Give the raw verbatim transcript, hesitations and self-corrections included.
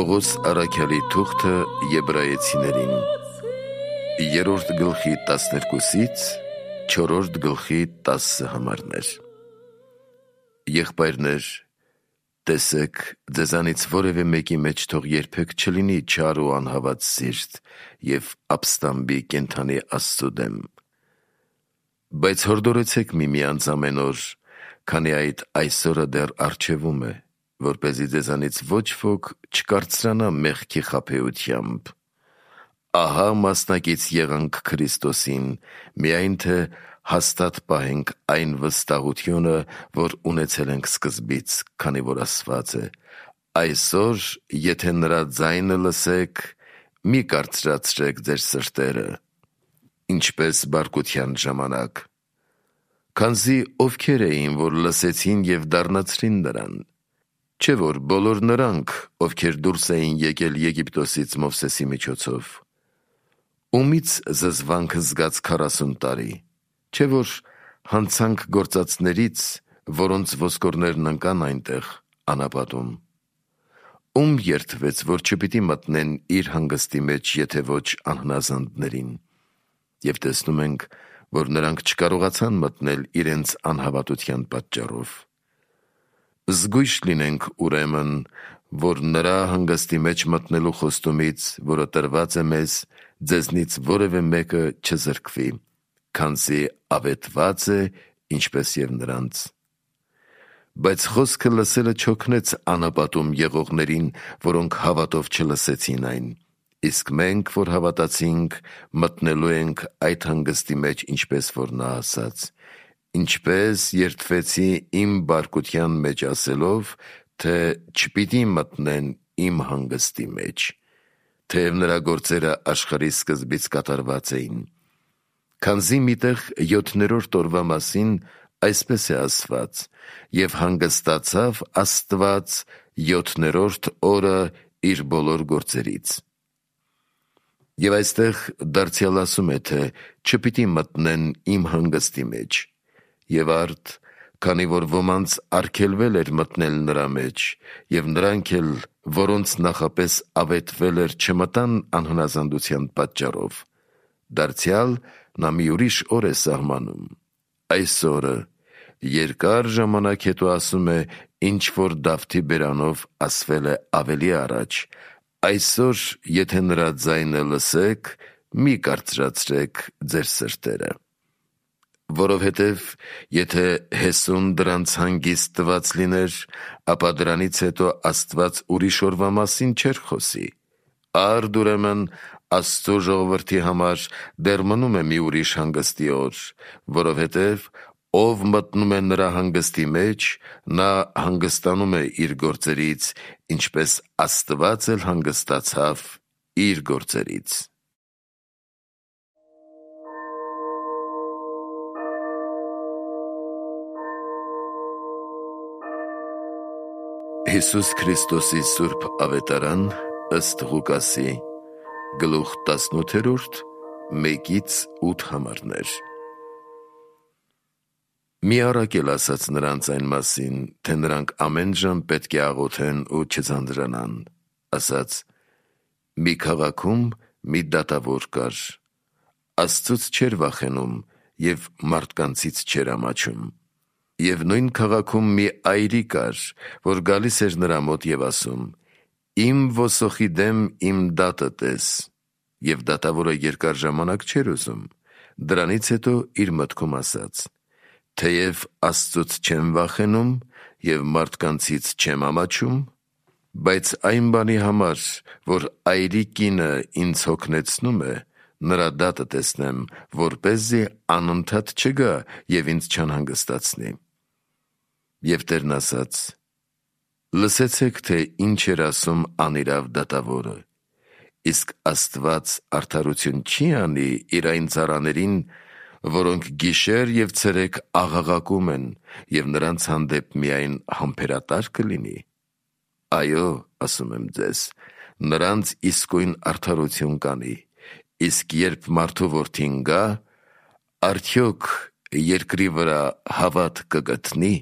Պողոս առաքյալի թուղթը Եբրայեցիներին երրորդ գլխի տասներկուսից չորրորդ գլխի տասը համարներ։ Եղբայրներ, տեսեք, ձեզանից որևէ մեկի մեջ թող երբեք չլինի չար ու անհավատ սիրտ և ապստամբի կենդանի Աստծու դեմ։ Բայց հորդորեցեք միմյանց ամեն օր, քանի այդ այսօրը դեռ առջևում է, որպեսզի ձեզանից ոչ ոք չկարձրանա մեղքի խաբեությամբ։ Ահա մասնակից եղանք Քրիստոսին, միայն թե հաստատ պահենք այն վստահությունը, որ ունեցել ենք սկզբից, քանի որ ասված է. «Այսօր, եթե նրա ձայնը լսեք, մի կարծրացրեք ձեր սրտերը», ինչպես բարկության ժամանակ։ Քանզի ովքեր էին, որ լսեցին և դառնացրին նրան։ Չէ՞ որ բոլոր նրանք, ովքեր դուրս էին եկել Եգիպտոսից Մովսեսի միջոցով։ Ումից զզվանքը զգաց քառասուն տարի։ Չէ՞ որ հանցանք գործածներից, որոնց ոսկորներն ընկան այնտեղ անապատում։ Ում երդվեց, որ չպիտի մտնեն իր հանգստի մեջ, եթե ոչ անհնազանդներին։ Եվ տեսնում ենք, որ նրանք չկարողացան մտնել իրենց անհավատության պատճառով։ Զգույշ լինենք, ուրեմն, որ նրա հանգստի մեջ մտնելու խոստումից, որը տրված է մեզ, ձեզնից որևէ մեկը չզրկվի, քանզի ավետված է, ինչպես և նրանց։ Բայց խոսքը լսելը չօգնեց անապատում եղողներին, որոնք հավատով չլսեցին այն, իսկ մենք, որ հավատացինք, մտնելու ենք այդ հանգստի մեջ, ինչպես որ նա ասաց. «Ինչպես երդվեցի իմ բարկության մեջ ասելով, թե չպիտի մտնեն իմ հանգստի մեջ, թեև նրա գործերը աշխարհի սկզբից կատարված էին։ Քանզի միտեղ յոթներորդ օրվա մասին այսպես է ասված. և հանգստացավ Աստված յոթներորդ օրը իր բոլոր գործերից»։ Եվ այստեղ դարձյալ ասում է, թե չպիտի մտնեն իմ հանգստի մեջ, և արդ, քանի որ ոմանց արգելվել էր մտնել նրա մեջ, և նրանք էլ, որոնց նախապես ավետվել էր, չմտան անհնազանդության պատճառով, դարձյալ նա մի ուրիշ օր է սահմանում։ Այս օրը երկար ժամանակ հետո ասում է, ինչ որ Դավթի բերանով ասվել է ավելի առաջ. «Այսօր, եթե նրա ձայնը լսեք, մի կարծրացրեք ձեր սրտերը»։ Որովհետև եթե Հեսուն դրանց հանգիստ տված լիներ, ապա դրանից հետո Աստված ուրիշ օրվա մասին չէր խոսի։ Արդ ուրեմն Աստծու ժողովրդի համար դեռ մնում է մի ուրիշ հանգստի օր, որովհետև ով մտնում է նրա հանգստի մեջ, նա հանգստանում է իր գործերից, ինչպես Աստված էլ հանգստացավ իր գործերից։ Հիսուս Քրիստոսի սուրբ ավետարան ըստ Ղուկասի, գլուխ տասնութերորդ, մեկից ութ համարներ։ Մի առակել ասաց նրանց այն մասին, թե նրանք ամեն ժամ պետք է աղոթեն ու չձանձրանան, ասաց. մի քաղաքում մի դատավոր կար, Աստծուց չէր վախենում և մարդկանցից չէր ամաչում։ Եվ նույն քաղաքում մի այրի կար, որ գալիս էր նրա մոտ և ասում. «Իմ ոսոխի դեմ իմ դատը տես», և դատավորը երկար ժամանակ չէր ուզում։ Դրանից հետո իր մտքում ասաց. «Թեև Աստծուց չեմ վախենում և մարդկանցից չեմ ամաչում, բայց այն բանի համար, որ այրի կինը ինձ հոգնեցնում է, նրա դատը տեսնեմ, որպեսզի անընդհատ չգա և ինձ չանհանգստացնի»։ Եվ Տերն ասաց. «Լսեցեք, թե ինչ էր ասում անիրավ դատավորը։ Իսկ Աստված արդարություն չի անի իր այն ծառաներին, որոնք գիշեր և ցերեկ աղաղակում են, և նրանց հանդեպ միայն համբերատար կլինի։ Այո, ասում եմ ձեզ, նրանց իսկույն արդարություն կանի, իսկ երբ մարդու որդին գա, արդյոք երկրի վրա հավատ կգտնի»։